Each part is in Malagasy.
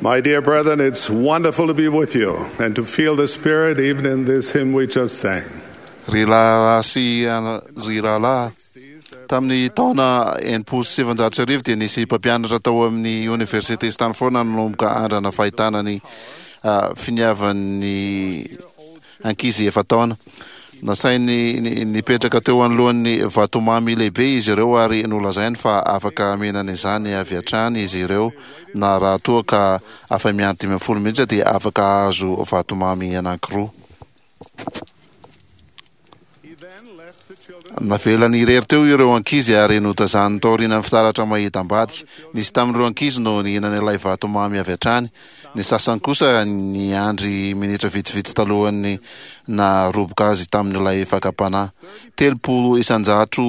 My dear brethren, it's wonderful to be with you and to feel the Spirit even in this hymn we just sang. Ry rahalahy sy ry rahalahy, tamin'ny taona 1960 dia nisy mpampianatra tao amin'ny Oniversite Stanford nanomboka andrana fahitana ny finiavan'ny ankizy efa-taona. Nasainy nipetraka teo anoloan'ny vatomamy lehibe izy ireo ary nolazainy fa afaka mihinana izany avy hatrany izy ireo na raha toa ka afa-miandry 15 minitra dia afaka hahazo vatomamy anankiroa. Navelany irery teo ireo ankizy ary notazaniny taorian'ny fitaratra mahita ambadika. Nisy tamin'ireo ankizy no nihinana ilay vatomamy avy hatrany. Ny sasany kosa niandry minitra vitsivitsy talohan'ny naharoboka azy tamin'ilay fakam-panahy. 30 isanjato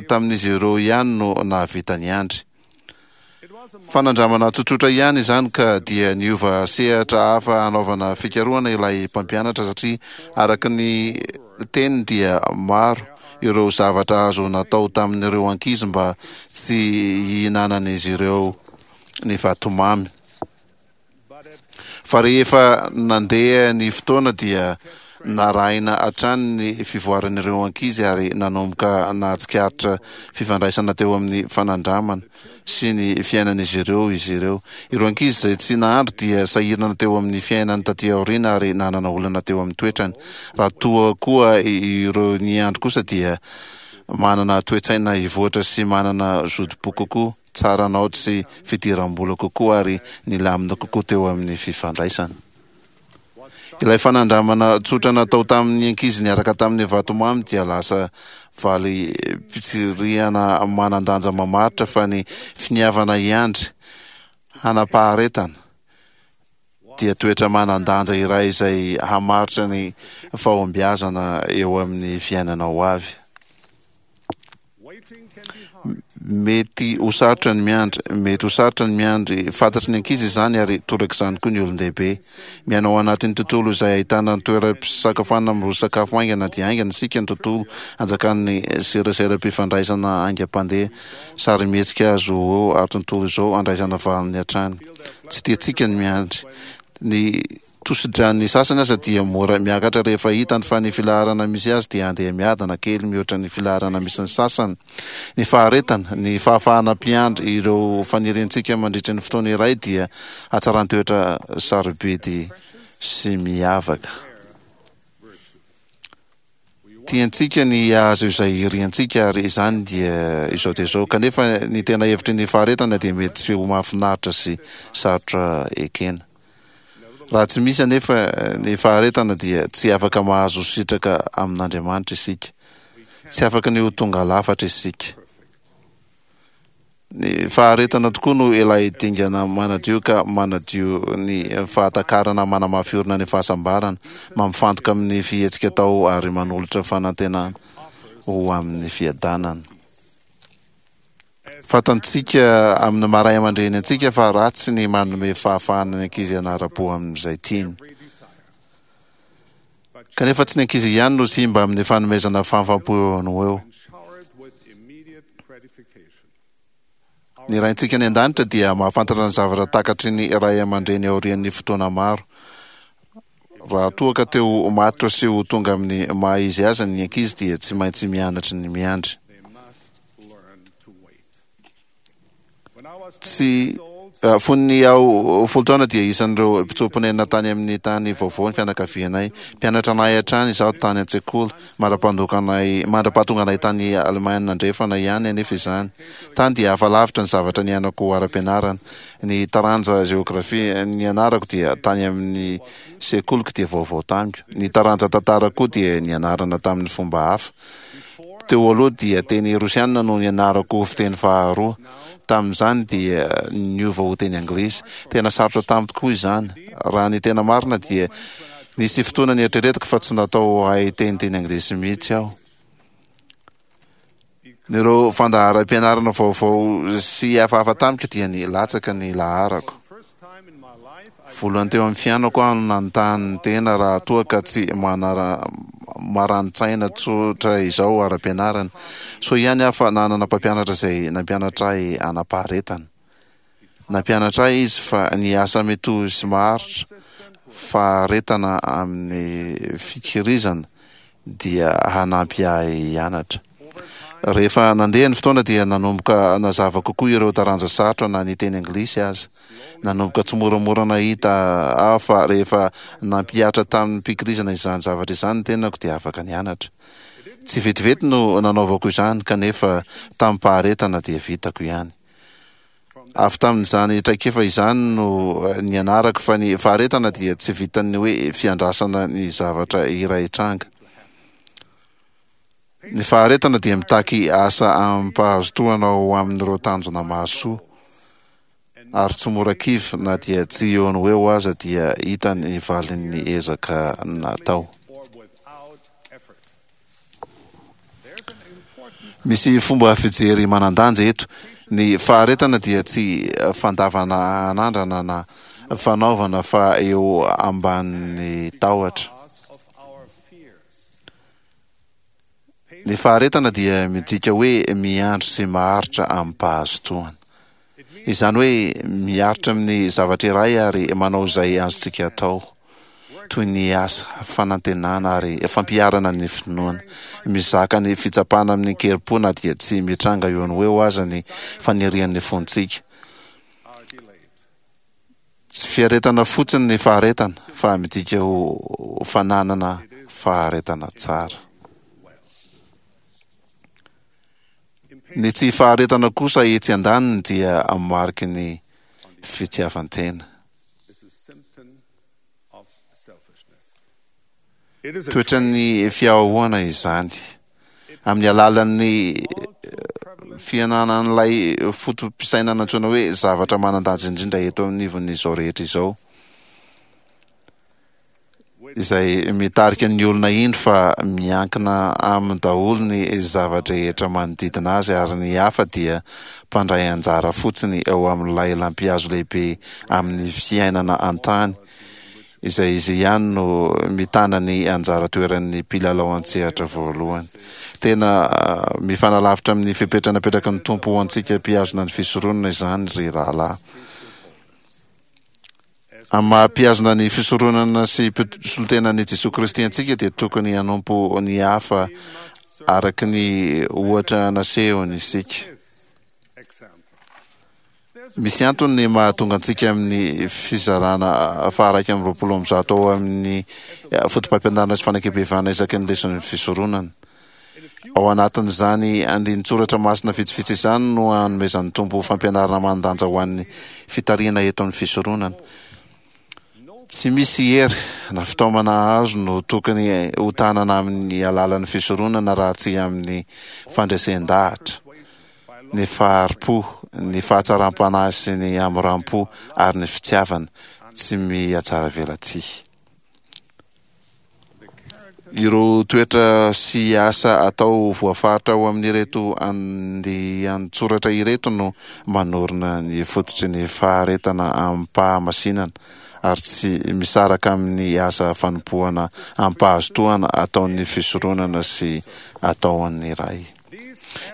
tamin'izy ireo ihany no nahavita niandry. Fanandramana tsotsotra ihany izany ka dia niova sehatra hafa hanaovana fikarohana ilay mpampianatra satria araka ny teniny dia maro ireo zavatra azo natao tamin'ireo ankizy mba tsy hihinanan'izy ireo ny vatomamy. Fa rehefa nandeha ny fotoana dia narahina hatrany ny fivoaran'ireo ankizy ary nanomboka nahatsikaritra fifandraisana teo amin'ny fanandramana sy ny fiainan'izy ireo izy ireo. Ireo ankizy izay tsy nahandry dia sahirana teo amin'ny fiainany taty aoriana ary nanana olana teo amin'ny toetrany. Raha toa koa ireo niandry kosa dia manana toe-tsaina hivoatra sy manana zotom-po kokoa. tsara naoty sy fidiram-bola kokoa ary nilamina kokoa teo amin'ny fifandraisana. Ilay fanandramana tsotra natao tamin'ny ankizy niaraka tamin'ny vatomamy dia lasa valim-pitsirihana manan-danja mamaritra fa ny finiavana hiandry hanam-paharetana dia toetra manan-danja iray izay hamaritra ny fahombiazana eo amin'ny fiainana ho avy. Mety ho sarotra ny miandry, mety ho sarotra ny miandry. Fantatry ny ankizy izany ary torak'izany koa ny olon-dehibe. Miaina ao anatin'ny tontolo izay ahitana ny toeram-pisakafoanana miroso sakafo haingana dia haingana isika, ny tontolo anjakan'ny seraseram-pifandraisana haingam-pandeha, sarimihetsika azo eo ary tontolo izao andraisana valiny hatrany. Tsy tiantsika ny miandry. Ny Tosidran'ny sasany aza dia mora miakatra rehefa hitany fa ny filaharana misy azy dia handeha miadana kely mihoatra ny filaharana misy ny sasany. Ny faharetana, ny fahafahana mpiandry ireo faniriantsika mandritra ny fotoana iray dia hatsaran-toetra sarobidy sy miavaka. Tiantsika ny hahazo izay iriantsika ary izany dia izao dia izao. Kanefa ny tena hevitry ny faharetana dia mety tsy ho mahafinaritra sy sarotra ekena. Raha tsy misy anefa ny faharetana dia tsy afaka mahazo sitraka amin'Andriamanitra isika. Tsy afaka ny ho tonga lafatra isika. Ny faharetana tokoa no ilay dingana manadio ka manadio ny fahatakarana manamafy orina ny fahasambarana, mampifantoka amin'ny fihetsika atao ary manolotra fanantenana ho amin'ny fiadanana. Fantantsika amin'ny maha ray aman-dreny antsika fa ratsy ny manome fahafahana ny ankizy hanara-po amin'izay tiany. Kanefa tsy ny ankizy ihany no simba amin'ny fanomezana fahafaham-po eo no ho eo. Ny Raintsika any An-danitra dia mahafantatra ny zavatra takatry ny ray aman-dreny aorian'ny fotoana maro. Raha toa ka te ho matotra sy ho tonga amin'ny maha izy azy ny ankizy dia tsy maintsy mianatra ny miandry. Tsy Fony aho folo taona dia isan'ireo mpitsoa-ponenana tany amin'ny tany vaovao ny fianakavianay. Mpianatra anay hatrany izaho tany an-tsekoly, mandra-pandokanay, mandra-pahatonga anay tany Alemaina Andrefana ihany anefa izany. Tany dia hafa lavitra ny zavatra niainako ara-pianarana. Ny taranja jeografia nianarako dia tany amin'ny sekoliko dia vaovao tamiko. Ny taranja tantara koa dia nianarana tamin'ny fomba hafa. Teo aloha dia teny rosianina no nianarako ho fiteny faharoa. Tamin'izany dia niova ho teny anglisy. Tena sarotra tamiko tokoa izany. Raha ny tena marina dia nisy fotoana nieritreretiko fa tsy natao hahay teny teny anglisy mihitsy aho. Ireo fandaharam-pianarana vaovao sy hafahafa tamiko dia nilatsaka ny laharako. Voalohany teo amin'ny fiainako aho no nanontany tena raha toa ka tsy marani-tsaina tsotra izao ara-pianarana. Soa ihany aho fa nanana mpampianatra izay nampianatra ahy hanam-paharetana. Nampianatra ahy izy fa ny asa mitohy sy maharitra, faharetana amin'ny fikirizana dia hanampy ahy hianatra. Rehefa nandeha ny fotoana dia nanomboka nazava kokoa ireo taranja sarotra na ny teny anglisy aza. Nanomboka tsimoramora nahita aho fa rehefa nampihatra tamim-pikirizana izany zavatra izany ny tenako dia afaka nianatra. Tsy vetivety no nanaovako izany kanefa tamim-paharetana dia vitako ihany. Avy tamin'izany traikefa izany no nianarako fa ny faharetana dia tsy vitan'ny hoe fiandrasana ny zavatra iray hitranga. Ny faharetana dia mitaky asa amim-pahazotoana ho amin'ireo tanjona mahasoa, ary tsy mora kivy na dia tsy eo no ho eo aza dia hita ny valin'ny ezaka natao. Misy fomba fijery manan-danja eto. Ny faharetana dia tsy fandavana anandrana na fanaovana fa eo ambanin'ny tahotra. Ny faharetana dia midika hoe miandry sy maharitra amim-pahazotoana. Izany hoe miaritra amin'ny zavatra iray ary manao izay azontsika atao, toy ny asa, fanantenana ary fampiharana ny finoana. Mizaka ny fitsapana amin'ny kerim-po na dia tsy mitranga eo no ho eo aza ny fanirian'ny fontsika. Tsy fiaretana fotsiny ny faharetana fa midika ho fananana faharetana tsara. Ny tsy faharetana kosa etsy andaniny dia mariky ny fitiavan-tena. Toetran'ny fiahoana izany. Amin'ny alalan'ny fiananan'ilay foto-pisainana antsoina hoe zavatra manan-danja indrindra eto anivon'izao rehetra izao. izay mitarika ny olona hino fa miankina aminy daholo ny zava-drehetra manodidina azy ary ny hafa dia mpandray anjara fotsiny eo amin'ilay lampihazo lehibe amin'ny fiainana an-tany izay izy ihany no mitana ny anjara toeran'ny mpilalao an-tsehatra voalohany. Tena mifanalavitra amin'ny fepetra napetraky ny Tompo ho antsika mpihazona ny fisoronana izany ry rahalahy. Amin'ny maha mpihazona ny fisoronana sy mpisolotenan'i Jesoa Kristy antsika dia tokony hanompo ny hafa araka ny ohatra nasehony isika. Misy antony ny mahatonga antsika amin'ny fizarana faha-121 ao amin'ny Fotopampianarana sy Fanekempihavanana isaky ny leson'ny fisoronana. Ao anatin'izany andinin-tsoratra masina vitsivitsy izany no anomezan'ny Tompo fampianarana manan-danja ho an'ny fitarihana eto amin'ny fisoronana. Tsy misy hery na fitaomana azo no tokony hotanana amin'ny alalan'ny fisoronana raha tsy amin'ny fandresen-dahatra, ny fahari-po, ny fahatsaram-panahy sy ny hamoram-po ary ny fitiavana tsy mihatsaravelatsihy. Ireo toetra sy asa atao voafaritra ao amin'ireto andian-tsoratra ireto no manorina ny fototry ny faharetana amim-pahamasinana ary tsy misaraka amin'ny asa fanompoana amim-pahazotoana ataon'ny fisoronana sy ataon'ny Ray.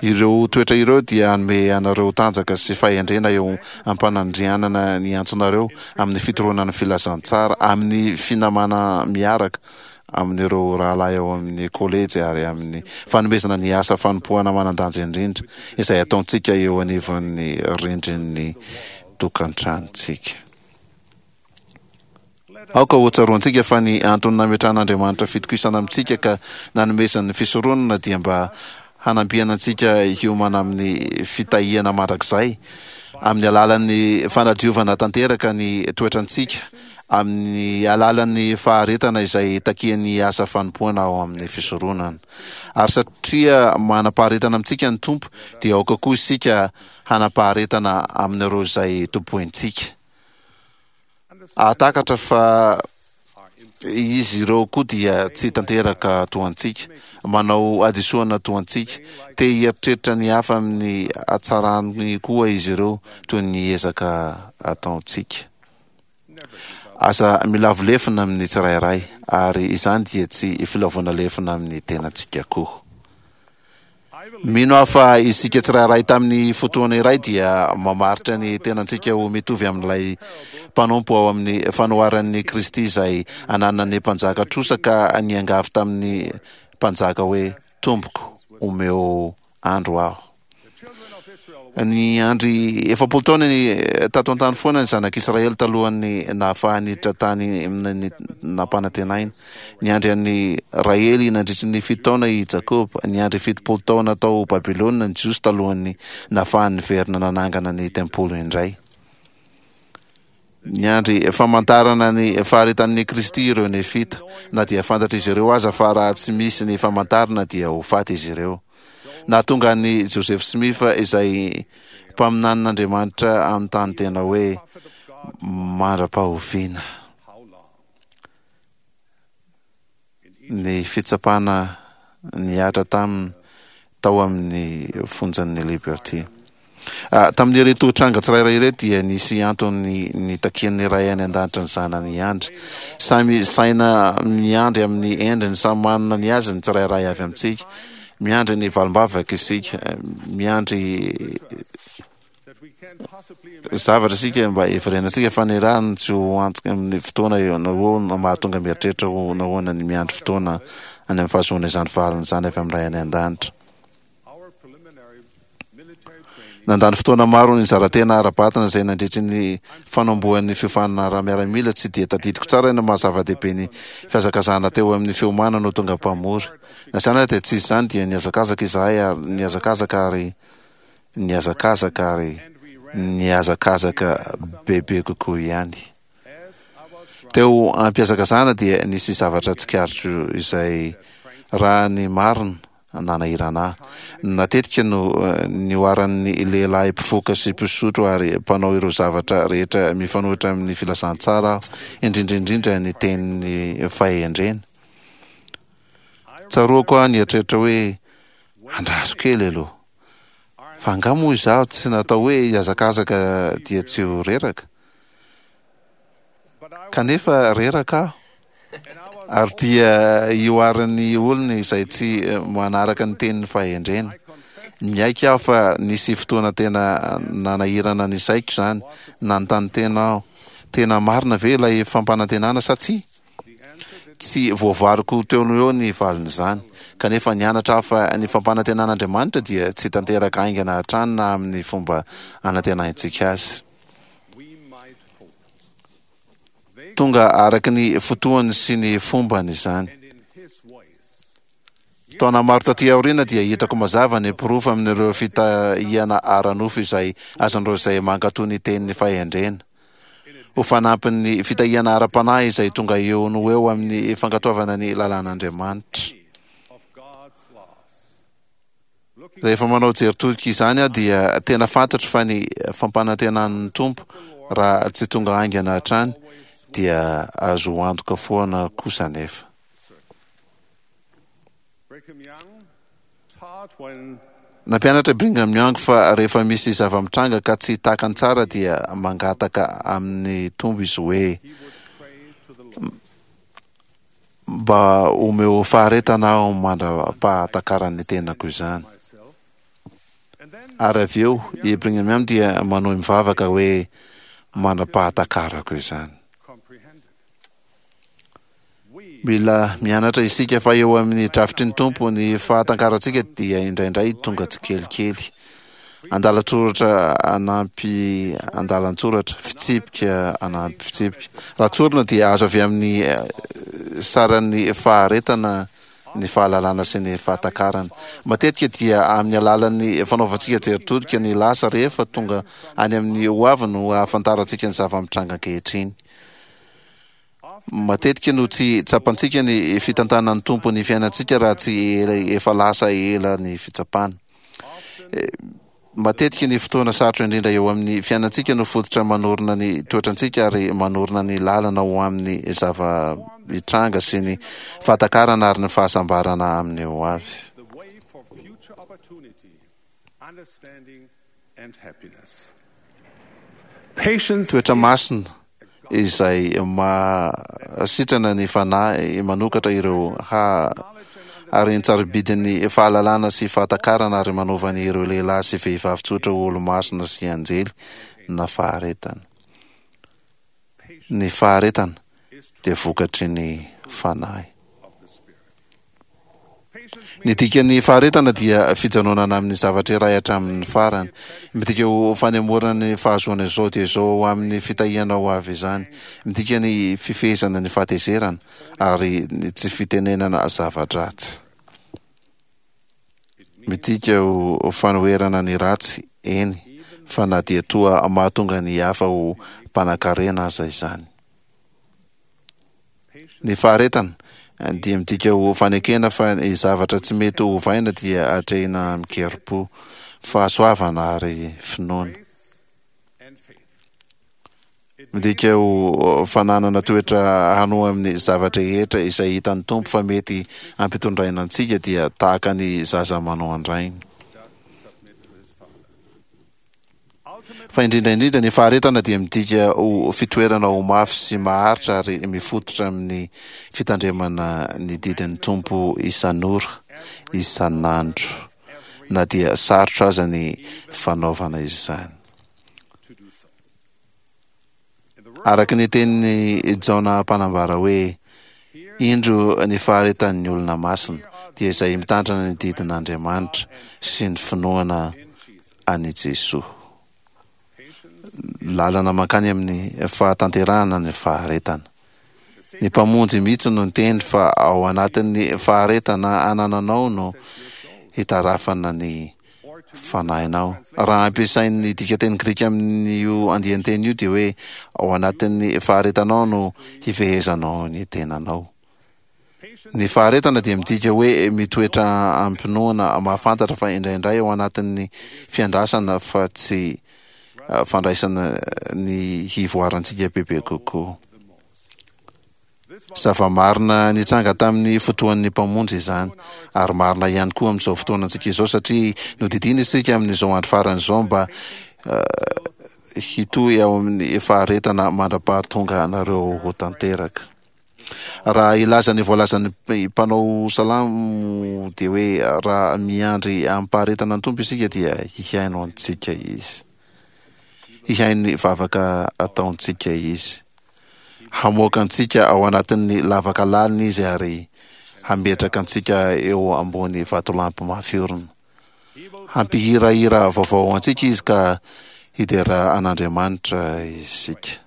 Ireo toetra ireo dia hanome anareo tanjaka sy fahendrena eo am-panandrianana ny antsonareo amin'ny fitoroana ny filazantsara, amin'ny finamana miaraka amin'ireo rahalahy ao amin'ny kolejy ary amin'ny fanomezana ny asa fanompoana manan-danja indrindra izay ataontsika eo anivon'ny rindrin'ny tokantranontsika. Aoka hotsaroantsika fa ny antony nametrahan'Andriamanitra fitokisana amintsika ka nanomezany ny fisoronana dia mba hanampiana antsika hiomana amin'ny fitahiana mandrakizay amin'ny alalan'ny fanadiovana tanteraka ny toetrantsika amin'ny alalan'ny faharetana izay takian'ny asa fanompoana ao amin'ny fisoronana. Ary satria manam-paharetana amintsika ny Tompo dia aoka koa isika hanam-paharetana amin'ireo izay tompointsika. Hahatakatra fa izy ireo koa dia tsy tanteraka toa antsika, manao hadisoana toa antsika, te hieritreritra ny hafa amin'ny hatsarany koa izy ireo toy ny ezaka ataontsika. Aza milavo lefona amin'ny tsirairay, ary izany dia tsy filavoana lefona amin'ny tenantsika koa. Mino aho fa isika tsirairay tamin'ny fotoana iray dia mamaritra ny tenantsika ho mitovy amin'ilay mpanompo ao amin'ny fanoharan'i Kristy izay ananan'ny mpanjaka trosa ka niangavy tamin'ny mpanjaka hoe, Tompoko, omeo andro aho. Niandry 40 taona ny tato an-tany foana ny zanak'Israely talohan'ny nahafahany niditra tany amin'ny nampanantenaina. Niandry an'i Rahely nandritry ny fito taona i Jakoba. Niandry 70 taona tao Babylona ny Jiosy talohan'ny nahafahany niverina nanangana ny tempoly indray. Niandry famantarana ny faharetan'i Kristy ireo Nefita, na dia fantatr'izy ireo aza fa raha tsy misy ny famantarana dia ho faty izy ireo. Nahatonga an'i Joseph Smith izay mpaminanin'Andriamanitra hanontany tena hoe, Mandra-pahoviana? Ny fitsapana nihatra taminy tao amin'ny fonjan'ny Liberty. Tamin'ireto tranga tsirairay ireto dia nisy antony nitakian'ny Ray any An-danitra ny Zanany hiandry. Samy saina miandry amin'ny endriny samy manana ny azy ny tsirairay avy amintsika. Miandry ny valim-bavaka isika. Miandry zavatra isika mba hiverenantsika fa ny rano tsy ho antoka amin'ny fotoana eo na eo no mahatonga mieritreritra ho nahoana ny miandry fotoana any amin'ny fahazoana izany valiny izany avy amin'ny Ray any An-danitra. Nandany fotoana maro nizara-tena ara-batana izay nandritry ny fanombohan'ny fiofanana ara-miaramila tsy dia tadidiko tsara ny maha zava-dehibe ny fihazakazahana teo amin'ny fiomanana ho tonga mpamory. Na izany aza dia tsy izany dia nihazakazaka izahay ary nihazakazaka ary nihazakazaka ary nihazakazaka bebe kokoa ihany. Teo am-pihazakazahana dia nisy zavatra tsikaritro izay raha ny marina nanahirana ahy. Natetika no nihoaran'ny lehilahy mpifoka sy mpisotro ary mpanao ireo zavatra rehetra mifanohitra amin'ny filazantsara aho, indrindra indrindra ny tenin'ny fahendrena. Tsaroako aho nieritreritra hoe, Andraso kely aloha. Fa angaha moa izaho tsy natao hoe hihazakazaka dia tsy ho reraka? Kanefa reraka aho. Ary dia ihoarin'ny olona izay tsy manaraka ny tenin'ny fahendrena. Miaiky aho fa nisy fotoana tena nanahirana ny saiko izany. Nanontany tena aho, tena marina ve ilay fampanantenana sa tsia? Tsy voavariko teo no eo ny valin'izany. Kanefa nianatra aho fa ny fampanantenan'Andriamanitra dia tsy tanteraka haingana hatrany na amin'ny fomba anantenaintsika azy. Tonga araka ny fotoany sy ny fombany izany. Taona maro taty aoriana dia hitako mazava ny porofo amin'ireo fitahiana ara-nofo izay azon'ireo izay mankatò ny tenin'ny fahendrena. Ho fanampin'ny fitahiana ara-panahy izay tonga eo no ho eo amin'ny fankatoavana ny lalàn'Andriamanitra. Rehefa manao jery todika izany aho dia tena fantatro fa ny fampanantenan'ny Tompo raha tsy tonga haingana hatrany dia azo antoka foana kosa anefa. Nampianatra i Brigham Young fa rehefa misy zava-mitranga ka tsy takany tsara dia mangataka amin'ny Tompo izy hoe, Mba omeo faharetana aho mandra-pahatakaran'ny tenako izany. Ary avy eo i Brigham Young dia manohy mivavaka hoe, Mandra-pahatakarako izany. Mila mianatra isika fa eo amin'ny drafitry ny Tompo ny fahatankarantsika dia indraindray tonga tsikelikely. Andalan-tsoratra anampy andalan-tsoratra, fitsipika anampy fitsipika. Raha tsorina dia azo avy amin'ny saran'ny faharetana ny fahalalana sy ny fahatakarana. Matetika dia amin'ny alalan'ny fanaovantsika jery todika ny lasa rehefa tonga any amin'ny hoavy no ahafantarantsika ny zava-mitranga ankehitriny. Matetika no tsy tsapantsika ny fitantanan'ny Tompo ny fiainantsika raha tsy efa lasa ela ny fitsapana. Matetika ny fotoana sarotra indrindra eo amin'ny fiainantsika no fototra manorina ny toetrantsika ary manorina ny lalana ho amin'ny zava-mitranga sy ny fahatakarana ary ny fahasambarana amin'ny ho avy. Toetra masina izay mahasitrana ny fanahy, manokatra ireo ha haren-tsarobidin'ny fahalalana sy fahatakarana ary manova ny ireo lehilahy sy vehivavy tsotra ho olo-masina sy anjely na faharetana. Ny faharetana dia vokatry ny Fanahy. Ny dikan'ny faharetana dia fijanonana amin'ny zavatra iray hatramin'ny farany. Midika ho fanemorana ny fahazoana izao dia izao ho amin'ny fitahiana ho avy izany. Midika ny fifehezana ny fahatezerana ary ny tsy fitenenana zava-dratsy. Midika ho fanoherana ny ratsy, eny fa na dia toa mahatonga ny hafa ho mpanankarena aza izany. Ny faharetana dia midika ho fanekena fa ny zavatra tsy mety ho ovaina dia atrehina amin-kerim-po, fahasoavana ary finoana. Midika ho fananana toetra hanoa amin'ny zava-drehetra izay hitan'ny Tompo fa mety hampitondraina antsika dia tahaka ny zaza manoa an-drainy. Fa indrindra indrindra, ny faharetana dia midika ho fitoerana ho mafy sy maharitra ary mifototra amin'ny fitandremana ny didin'ny Tompo isan'ora, isan'andro, na dia sarotra aza ny fanaovana izany. Araka ny tenin'i Jaona mpanambara hoe, Indro ny faharetan'ny olona masina, dia izay mitandrina ny didin'Andriamanitra sy ny finoana an'i Jesoa. Lalana mankany amin'ny fahatanterahana ny faharetana. Ny Mpamonjy mihitsy no niteny fa ao anatin'ny faharetana anananao no hitarafana ny fanahinao. Raha ampiasain'ny dikanteny grika amin'io andian-teny io dia hoe ao anatin'ny faharetanao no hifehezanao ny tenanao. Ny faharetana dia midika hoe mitoetra amim-pinoana, mahafantatra fa indraindray ao anatin'ny fiandrasana fa tsy fandraisana ny hivoarantsika bebe kokoa. Zava-marina nitranga tamin'ny fotoan'ny Mpamonjy izany, ary marina ihany koa amin'izao fotoanantsika izao, satria nodidiana isika amin'izao andro farany izao mba hitohy ao amin'ny faharetana mandra-pahatonga anareo ho tanteraka. Raha hilaza ny voalazan'ny mpanao salamo dia hoe raha miandry amim-paharetana ny Tompo isika dia hihaino antsika Izy. Hihaino ny vavaka ataontsika Izy. Hamoaka antsika ao anatin'ny lavaka lalina Izy ary hametraka antsika eo ambony vatolampy mafy orina. Hampihirahira vaovao ho antsika Izy ka hidera an'Andriamanitra isika.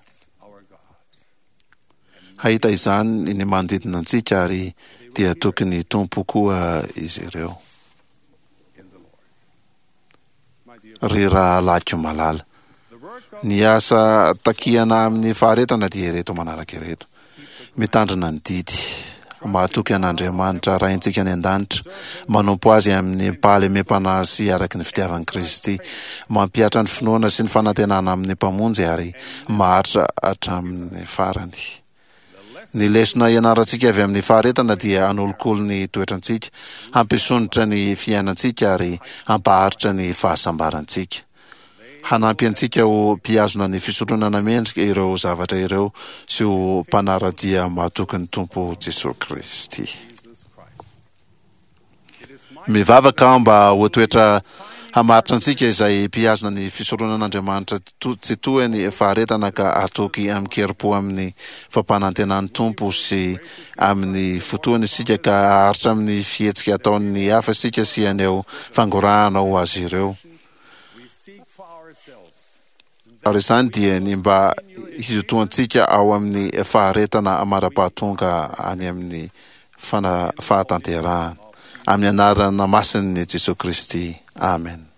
Hahita izany ny manodidina antsika ary dia tokony hitompo koa izy ireo. Ry rahalahiko malala, ny asa takiana amin'ny faharetana dia ireto manaraka ireto, mitandrina ny didy, mahatoky an'Andriamanitra Raintsika any an-danitra, manompo Azy amin'ny fahalemem-panahy sy araka ny fitiavan'i Kristy, mampihatra ny finoana sy ny fanantenana amin'ny Mpamonjy ary maharitra hatramin'ny farany. Ny lesona ianarantsika avy amin'ny faharetana dia hanolokolo ny toetrantsika, hampisondrotra ny fiainantsika ary hampaharitra ny fahasambarantsika. Hanampy antsika ho mpihazona ny fisoronana mendrika ireo zavatra ireo sy ho mpanara-dia mahatoky ny Tompo Jesoa Kristy. Mivavaka aho mba ho toetra hamaritra antsika izay mpihazona ny fisoronan'Andriamanitra tsy toa ny faharetana ka hatoky amin-kerim-po amin'ny fampanantenan'ny Tompo sy amin'ny fotoany isika ka haharitra amin'ny fihetsika ataon'ny hafa isika sy haneho fangorahana ho azy ireo. Ary izany dia ny mba hizotoantsika ao amin'ny faharetana mandra-pahatonga any amin'ny fana fahatanterahana. Amin'ny anarana masin'i Jesoa Kristy. Amen.